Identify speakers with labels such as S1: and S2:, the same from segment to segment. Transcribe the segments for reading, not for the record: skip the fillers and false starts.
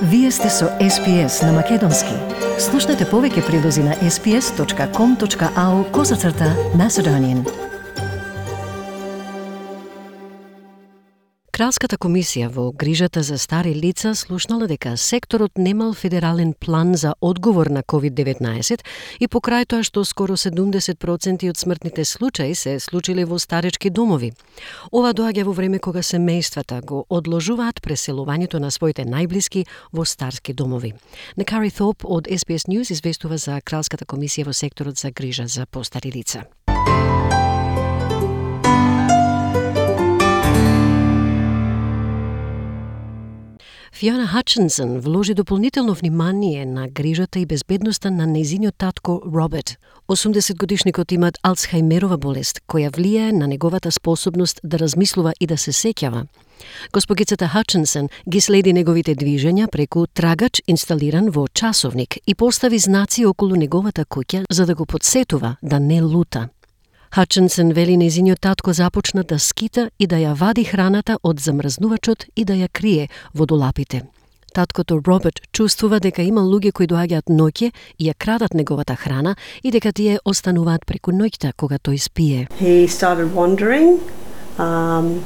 S1: Вие сте со SPS на Македонски. Слушнете повеќе прилози на sps.com.au/Macedonian. Кралската комисија во грижата за стари лица слушнала дека секторот немал федерален план за одговор на COVID-19 и покрај тоа што скоро 70% од смртните случаи се случиле во старечки домови. Ова доаѓа во време кога семејствата го одложуваат преселувањето на своите најблиски во старски домови. Некари Thorpe од SBS News известува за Кралската комисија во секторот за грижа за постари лица. Фиона Хатчинсон вложи дополнително внимание на грижата и безбедноста на нејзиниот татко Роберт. 80-годишникот имат Алцхајмерова болест, која влијае на неговата способност да размислува и да се сеќава. Госпогицата Хатчинсон ги следи неговите движења преку трагач инсталиран во часовник и постави знаци околу неговата куќа за да го подсетува да не лута. Хатчинсон вели нејзиниот татко започна да скита и да ја вади храната од замрзнувачот и да ја крие во долапите. Таткото Роберт чувствува дека има луѓе кои доаѓаат ноќе и ја крадат неговата храна и дека тие остануваат преку ноќта кога тој спие.
S2: He started wandering and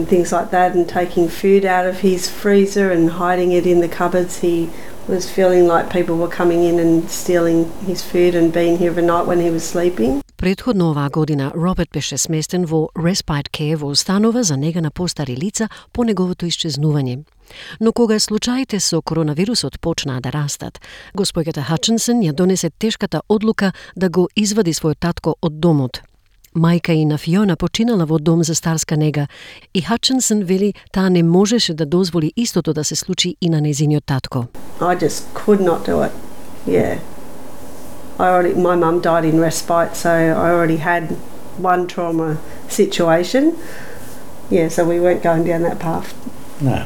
S2: things like that and taking food out of his freezer and hiding it in the cupboards. He was feeling like people were coming in and stealing his food and being here overnight when he was sleeping.
S1: Предходно оваа година Роберт беше сместен во Respite Care во установа за нега на постари лица по неговото исчезнување. Но кога случаите со коронавирусот почнаа да растат, госпоѓата Хатчинсон ја донесе тешката одлука да го извади својот татко од домот. Мајка и на Фиона починала во дом за старска нега и Хатчинсон вели таа не можеше да дозволи истото да се случи и на нејзиниот татко.
S2: I just could not do it. Yeah. My mum died in respite, so I already had one trauma situation. Yeah, so we weren't going down that path.
S3: No.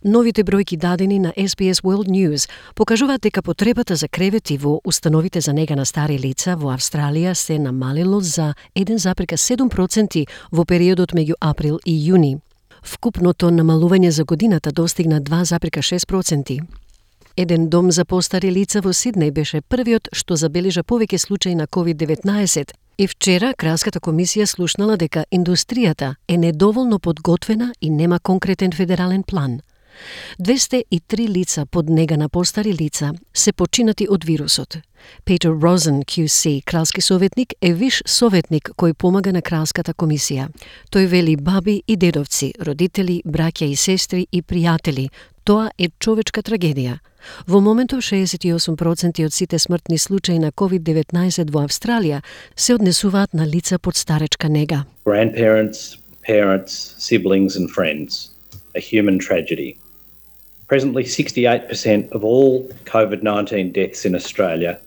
S1: Новите бројки дадени на SBS World News покажуваат дека потребата за кревети во установите за нега на стари лица во Австралија се намалило за 1,7% во периодот меѓу април и јуни. Вкупното намалување за годината достигна 2,6%. Еден дом за постари лица во Сиднеј беше првиот што забележа повеќе случаи на COVID-19 и вчера Кралската комисија слушнала дека индустријата е недоволно подготвена и нема конкретен федерален план. 203 лица под нега на постари лица се починати од вирусот. Петер Розен, QC, кралски советник, е виш советник кој помага на Кралската комисија. Тој вели баби и дедовци, родители, браќа и сестри и пријатели. Тоа е човечка трагедија. Во моментов 68% од сите смртни случаи на COVID-19 во Австралија се однесуваат на лица под старечка нега.
S3: Grandparents, parents, siblings and friends. A human tragedy. Presently, 68% of all COVID-19 deaths in Australia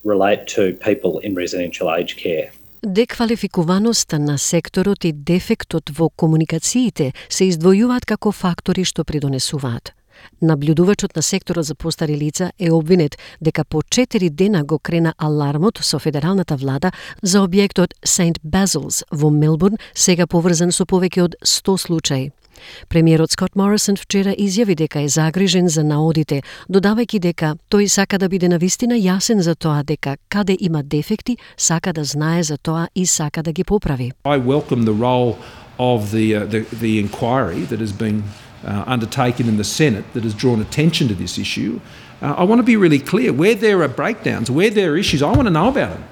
S3: relate to people in residential aged care.
S1: Деквалификуваноста на секторот и дефектот во комуникациите се издвојуваат како фактори што придонесуваат. Наблюдувачот на секторот за постари лица е обвинет дека по 4 дена го крена алармот со федералната влада за објектот St. Basil's во Мелбурн, сега поврзан со повеќе од 100 случаи. Премиерот Скот Морисон вчера изјави дека е загрижен за наодите, додавајќи дека тој сака да биде навистина јасен за тоа дека каде има дефекти, сака да знае за тоа и сака да ги поправи.
S4: I welcome the role of the inquiry that has been undertaken in the Senate that has drawn attention to this issue. I want to be really clear, where there are breakdowns, where there are issues, I want to know about them.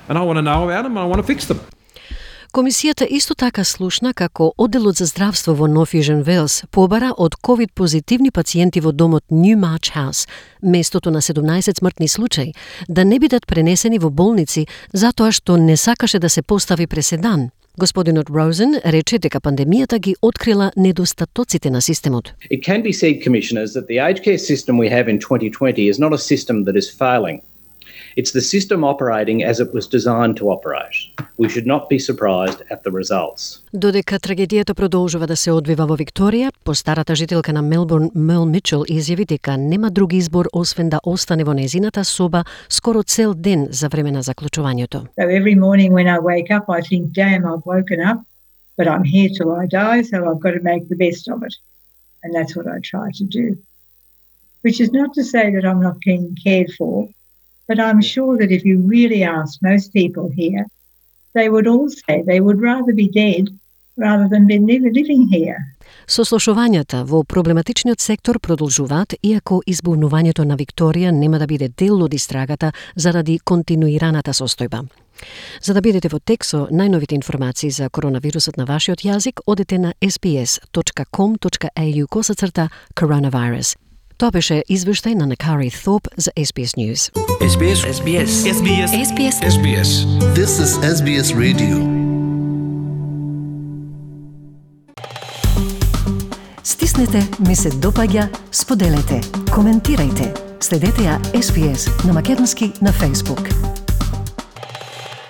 S4: And I want to know about them and I want to fix them.
S1: Комисијата исто така слушна како Одделот за здравство во Нов Јужен Велс побара од ковид позитивни пациенти во домот Newmarch House, местото на 17 смртни случаи, да не бидат пренесени во болници затоа што не сакаше да се постави преседан. Господинот Розен рече дека пандемијата ги открила недостатоците на системот.
S3: It can be said, Commissioners, that the aged care system we have in 2020 is not a system that is failing. It's the system operating as it was designed to operate. We should not be surprised at the results.
S1: Додека трагедијата продолжува да се одвива во Викторија, постарата жителка на Мелбурн Мел Мичел изјави дека нема друг избор освен да остане во нејзината соба скоро цел ден за време на заклучувањето.
S5: So every morning when I wake up I think, damn, I've woken up, but I'm here till I die, so I've got to make the best of it. And that's what I try to do. Which is not to say that I'm not being cared for, but I'm sure that if you really ask most people here, they would all say they would rather be dead rather than be living here.
S1: Сослушувањата во проблематичниот сектор продолжуваат, иако избунувањето на Викторија нема да биде дел од истрагата заради континуираната состојба. За да бидете во тек со најновите информации за коронавирусот на вашиот јазик, одете на sbs.com.au/coronavirus. Тоа беше извештај на Накари Thorpe за SBS News.
S6: SBS. SBS. SBS. SBS. SBS.
S7: This is SBS Radio.
S1: Стиснете, ми се допаѓа, споделете, коментирајте. Следете ја SBS на македонски на Facebook.